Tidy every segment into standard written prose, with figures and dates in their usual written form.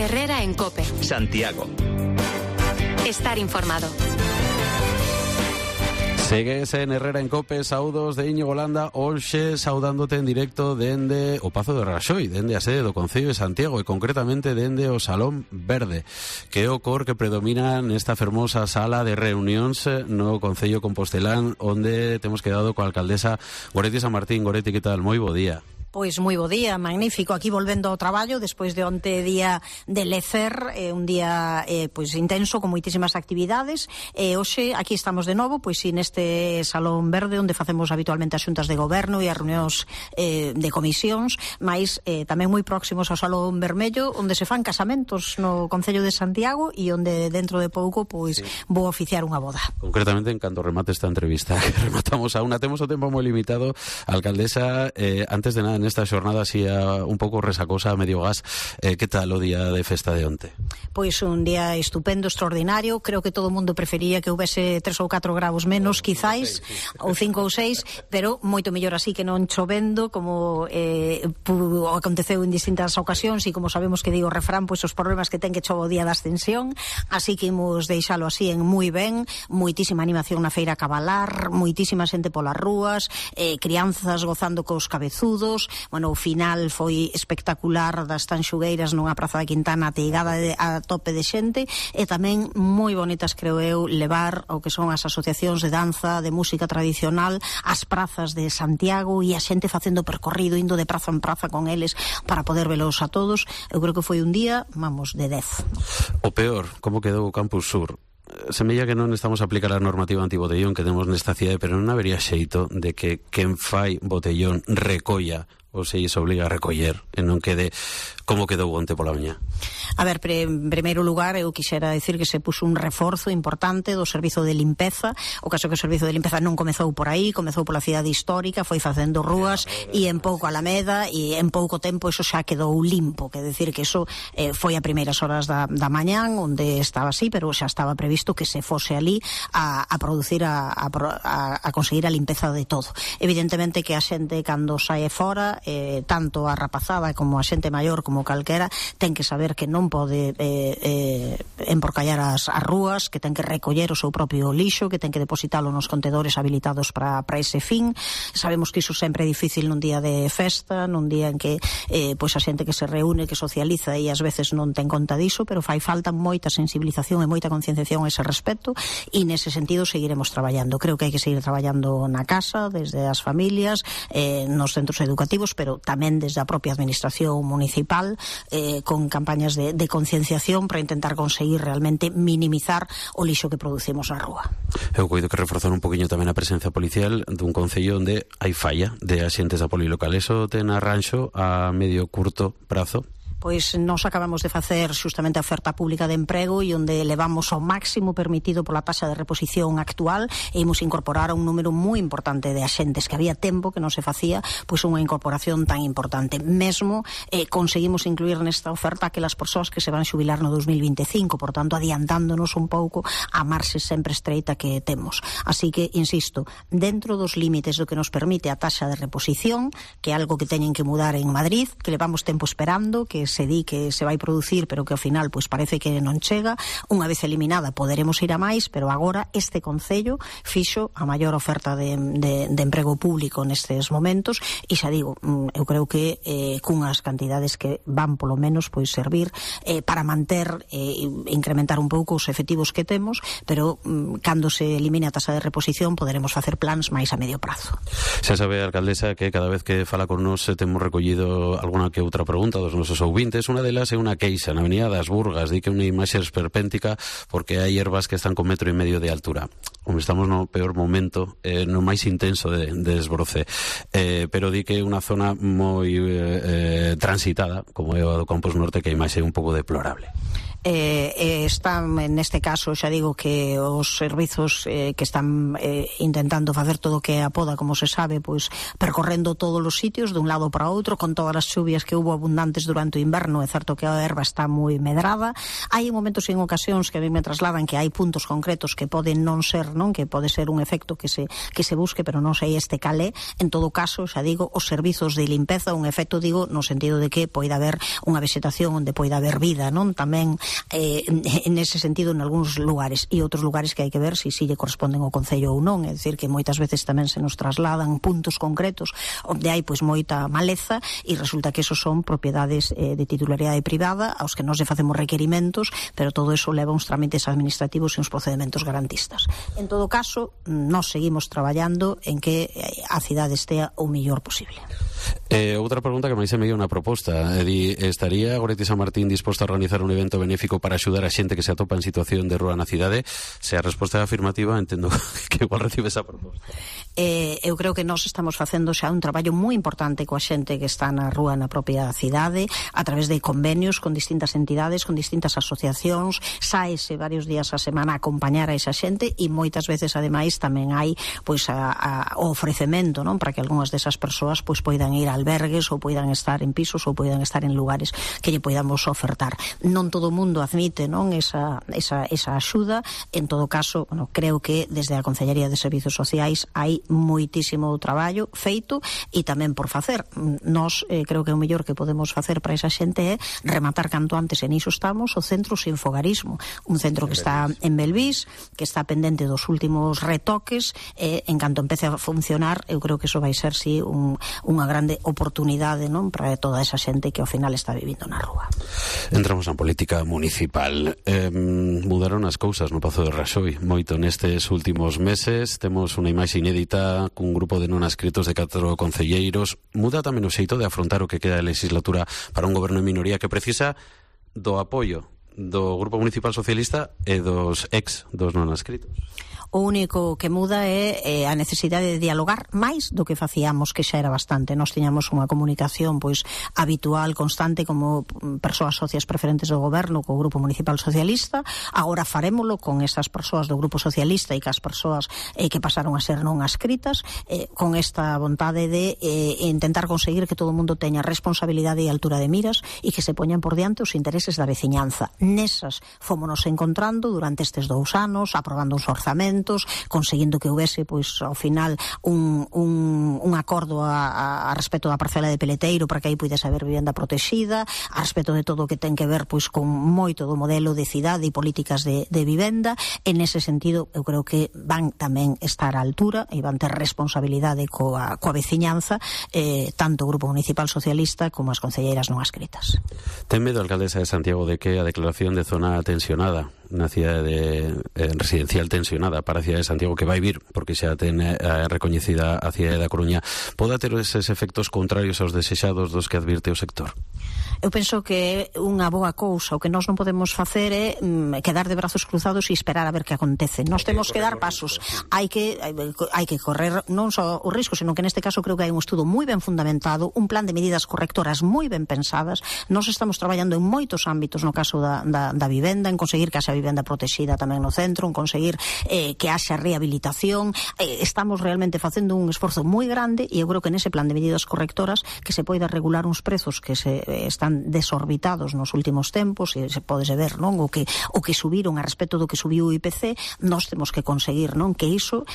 Herrera en COPE. Santiago. Estar informado. Segues en Herrera en COPE, saudos de Íñigo Landa, hoxe saudándote en directo dende o Pazo de Raxoi, dende a sede do Concello de Santiago e concretamente dende o Salón Verde, que é o cor que predomina nesta fermosa sala de reunións no Concello Compostelán, onde temos quedado coa alcaldesa Goretti San Martín. Goretti, que tal? Moi bo día. Pois moi bo día, magnífico, aquí volvendo ao traballo despois de onte día de lecer, un día pois intenso con moitísimas actividades, e hoxe aquí estamos de novo, pois neste Salón Verde onde facemos habitualmente as xuntas de goberno e as reunións de comisións, mais tamén moi próximos ao Salón Vermello, onde se fan casamentos no Concello de Santiago e onde dentro de pouco pois vou oficiar unha boda. Concretamente, en canto remate esta entrevista, que rematamos a unha, temos o tempo moi limitado, alcaldesa, antes de nada, nesta xornada así un pouco resacosa a medio gas, que tal o día de festa de onte? Pois un día estupendo, extraordinario, creo que todo o mundo prefería que houvese 3 ou 4 graus menos, quizáis, ou 5 ou 6, pero moito mellor así que non chovendo, como aconteceu en distintas ocasións, e como sabemos que digo o refrán, pois os problemas que ten que chova o día da ascensión, así que imos deixalo así en moi ben, moitísima animación na feira a cabalar, moitísima xente polas rúas, crianzas gozando cos cabezudos. Bueno, o final foi espectacular das Tanxugueiras nunha praza da Quintana ateigada a tope de xente, e tamén moi bonitas, creo eu, levar o que son as asociacións de danza, de música tradicional ás prazas de Santiago, e a xente facendo percorrido, indo de praza en praza con eles para poder velos a todos. Eu creo que foi un día, vamos, de 10. O peor, como quedou o Campus Sur? Semella que non estamos a aplicar a normativa antibotellón que temos nesta cidade, pero non habería xeito de que quen fai botellón recolla, ou se lles obliga a recoller, e non quede como quedou onte pola mañá. A ver, en primeiro lugar, eu quixera decir que se puso un reforzo importante do servizo de limpeza. O caso que o servizo de limpeza non comezou por aí, comezou pola cidade histórica, foi facendo rúas e en pouco Alameda, e en pouco tempo eso xa quedou limpo, que decir que eso foi a primeiras horas da mañán, onde estaba así, pero xa estaba previsto que se fose ali a producir, a conseguir a limpeza de todo. Evidentemente que a xente cando sae fora, tanto a rapazada como a xente maior como calquera, ten que saber que non pode emporcallar as rúas, que ten que recoller o seu propio lixo, que ten que depositalo nos contedores habilitados para ese fin. Sabemos que iso sempre é difícil nun día de festa, nun día en que pois a xente que se reúne, que socializa e ás veces non ten conta diso, pero fai falta moita sensibilización e moita concienciación a ese respecto, e nese sentido seguiremos traballando. Creo que hai que seguir traballando na casa, desde as familias, nos centros educativos, pero tamén desde a propia administración municipal, con campañas de concienciación para intentar conseguir realmente minimizar o lixo que producimos na rúa. Eu coido que reforzar un poquinho tamén a presencia policial dun concello onde hai falla de axentes da polilocal. Eso ten arranxo a medio curto prazo? Pois nos acabamos de facer xustamente a oferta pública de emprego, e onde levamos ao máximo permitido pola taxa de reposición actual, e imos incorporar a un número moi importante de axentes que había tempo que non se facía pois unha incorporación tan importante. Mesmo conseguimos incluir nesta oferta aquelas persoas que se van xubilar no 2025, por tanto adiantándonos un pouco a marxe sempre estreita que temos. Así que, insisto, dentro dos límites do que nos permite a taxa de reposición, que é algo que teñen que mudar en Madrid, que levamos tempo esperando, que se di que se vai producir, pero que ao final pois parece que non chega. Unha vez eliminada poderemos ir a máis, pero agora este concello fixo a maior oferta de emprego público nestes momentos, e xa digo, eu creo que cunhas cantidades que van polo menos pois servir para manter e incrementar un pouco os efectivos que temos, pero cando se elimine a tasa de reposición poderemos facer plans máis a medio prazo. Xa sabe, alcaldesa, que cada vez que fala con nos temos recollido alguna que outra pregunta dos nosos ouvintes. Unha delas é unha queixa na Avenida das Burgas, di que unha imaxe esperpéntica porque hai ervas que están con 1,5 metros de altura. Estamos no peor momento, no máis intenso de desbroce, pero di que é unha zona moi transitada, como é a do Campus Norte, que a imaxe é un pouco deplorable. Están, neste caso, xa digo que os servizos que están intentando facer todo o que a poda, como se sabe, pois percorrendo todos os sitios dun lado para outro, con todas as chuvias que hubo abundantes durante o inverno. É certo que a erva está moi medrada. Hai momentos en ocasións que a mí me trasladan que hai puntos concretos que poden non ser, non, que pode ser un efecto que se busque, pero non sei este calé. En todo caso, xa digo, os servizos de limpeza, un efecto, digo, no sentido de que poida haber unha vegetación onde poida haber vida, non? Tamén en ese sentido en algúns lugares, e outros lugares que hai que ver se lle corresponden ao Concello ou non. É dicir, que moitas veces tamén se nos trasladan puntos concretos onde hai pois moita maleza e resulta que esos son propiedades de titularidade privada aos que nós lle facemos requerimentos, pero todo eso leva uns trámites administrativos e uns procedementos garantistas. En todo caso, nós seguimos traballando en que a cidade estea o mellor posible. Outra pregunta que máis se me dio unha proposta. Estaría Goretti San Martín disposto a organizar un evento benéfico para axudar a xente que se atopa en situación de rúa na cidade? Se a resposta é afirmativa, entendo que igual recibe esa proposta. Eu creo que nós estamos facendo xa un traballo moi importante coa xente que está na rúa na propia cidade, a través de convenios con distintas entidades, con distintas asociacións. Saese varios días a semana a acompañar a esa xente e moitas veces, ademais, tamén hai pois o ofrecemento, non, para que algunhas desas persoas pois poidan ir a albergues ou poidan estar en pisos ou poidan estar en lugares que lle poidamos ofertar. Non todo o mundo admite, non, esa axuda. En todo caso, bueno, creo que desde a Concellería de Servizos Sociais hai moitísimo traballo feito e tamén por facer. Nós creo que o mellor que podemos facer para esa xente é rematar canto antes, en iso estamos, o centro Sinfogarismo, un centro que está en Belvís, que está pendente dos últimos retoques, en canto empece a funcionar, eu creo que iso vai ser si unha grande oportunidade, non, para toda esa xente que ao final está vivindo na rúa. Entramos na política municipal. Mudaron as cousas no Pazo de Raxoi moito nestes últimos meses. Temos unha imaxe inédita cun grupo de non adscritos de 4 concelleiros. Muda tamén o xeito de afrontar o que queda de legislatura para un goberno en minoría que precisa do apoio do Grupo Municipal Socialista e dos non adscritos. O único que muda é a necesidade de dialogar máis do que facíamos, que xa era bastante. Nós tiñamos unha comunicación pois habitual, constante, como persoas socias preferentes do goberno co Grupo Municipal Socialista. Agora farémolo con esas persoas do Grupo Socialista e cas persoas que pasaron a ser non adscritas, con esta vontade de intentar conseguir que todo o mundo teña responsabilidade e altura de miras e que se poñan por diante os intereses da veciñanza. Nesas fómonos encontrando durante estes 2 anos, aprobando uns orzamentos, conseguindo que houvese pois ao final un acordo a respecto da parcela de Peleteiro para que aí puidese haber vivenda protexida, a respecto de todo o que ten que ver pois con moito do modelo de cidade e políticas de vivenda. En ese sentido, eu creo que van tamén estar á altura e van ter responsabilidade coa veciñanza, tanto o Grupo Municipal Socialista como as concelleiras non adscritas. Ten medo a alcaldesa de Santiago de que a declaración de zona tensionada na cidade residencial tensionada para a cidade de Santiago, que vai vir porque xa ten recoñecida a cidade da Coruña, poda ter eses efectos contrarios aos desexados dos que advirte o sector? Eu penso que é unha boa cousa. O que nós non podemos facer é quedar de brazos cruzados e esperar a ver que acontece. Nós temos que dar pasos. Hai que correr non só o risco, senón que neste caso creo que hai un estudo moi ben fundamentado, un plan de medidas correctoras moi ben pensadas. Nós estamos traballando en moitos ámbitos no caso da vivenda, en conseguir que haxa vivenda protexida tamén no centro, en conseguir que haxa rehabilitación. Estamos realmente facendo un esforzo moi grande e eu creo que nese plan de medidas correctoras que se poida regular uns prezos que se están desorbitados nos últimos tempos, e se pode ver, non, o que subiron a respecto do que subiu o IPC. Nós temos que conseguir, non, que iso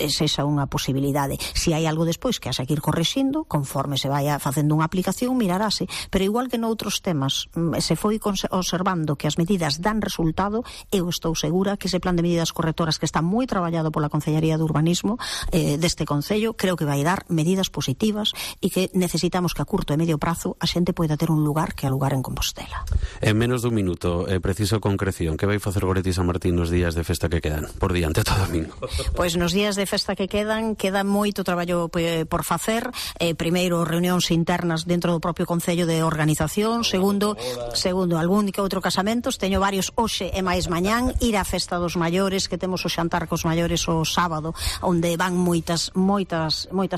sexa unha posibilidade. Se hai algo despois que haxa que ir correxindo, conforme se vaya facendo unha aplicación, mirarase. Pero igual que noutros temas se foi observando que as medidas dan resultado, eu estou segura que ese plan de medidas correctoras que está moi traballado pola Concellería de Urbanismo deste Concello, creo que vai dar medidas positivas e que necesitamos que a curto e medio prazo a xente poida ter un lugar que alugar en Compostela. En menos dun minuto, preciso concreción, que vai facer Goretti San Martín nos días de festa que quedan por diante todo domingo? Pois nos días de festa que queda moito traballo por facer. Primeiro, reunións internas dentro do propio Concello de organización. Segundo, algún que outro casamentos. Teño varios hoxe e máis mañán. Ir á festa dos maiores, que temos o xantar cos maiores o sábado, onde van moitas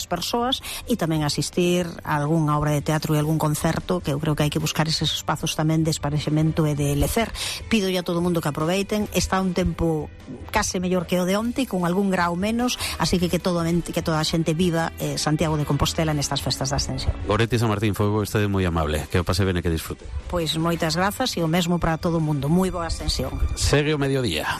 persoas, e tamén asistir a algunha obra de teatro e algún concerto que eu creo que hai hai que buscar eses espazos tamén de esparexemento e de lecer. Pidolle a todo o mundo que aproveiten. Está un tempo case mellor que o de onte, con algún grau menos, así que toda a xente viva Santiago de Compostela nestas festas da Ascensión. Goretti San Martín, foi vostede moi amable, que o pase ben e que disfrute. Pois moitas grazas e o mesmo para todo o mundo. Moi boa Ascensión. Segue o mediodía.